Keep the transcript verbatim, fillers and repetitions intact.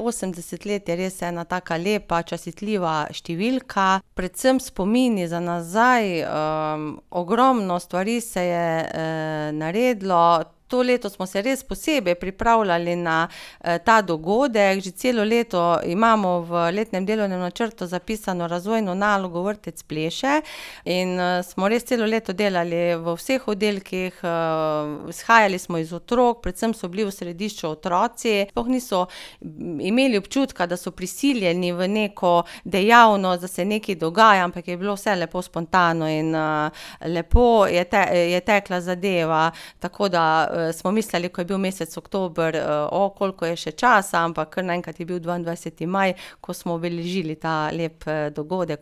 osemdeset let je res ena taka lepa, častitljiva številka. Predvsem spomini za nazaj, ogromno stvari se je, naredilo. To leto smo se res posebej pripravljali na, ta dogodek. Že celo leto imamo v letnem delovnem načrtu zapisano razvojno nalogo Vrtec pleše in, smo res celo leto delali v vseh oddelkih, izhajali smo iz otrok, predvsem so bili v središču otroci. Sploh niso imeli občutka, da so prisiljeni v neko dejavnost, da se nekaj dogaja, ampak je bilo vse lepo spontano in, lepo je je tekla zadeva. Tako da, smo mislili, ko je bil mesec oktober, koliko je še časa, ampak kar naenkrat je bil dvaindvajseti maj, ko smo obeležili ta lep, dogodek.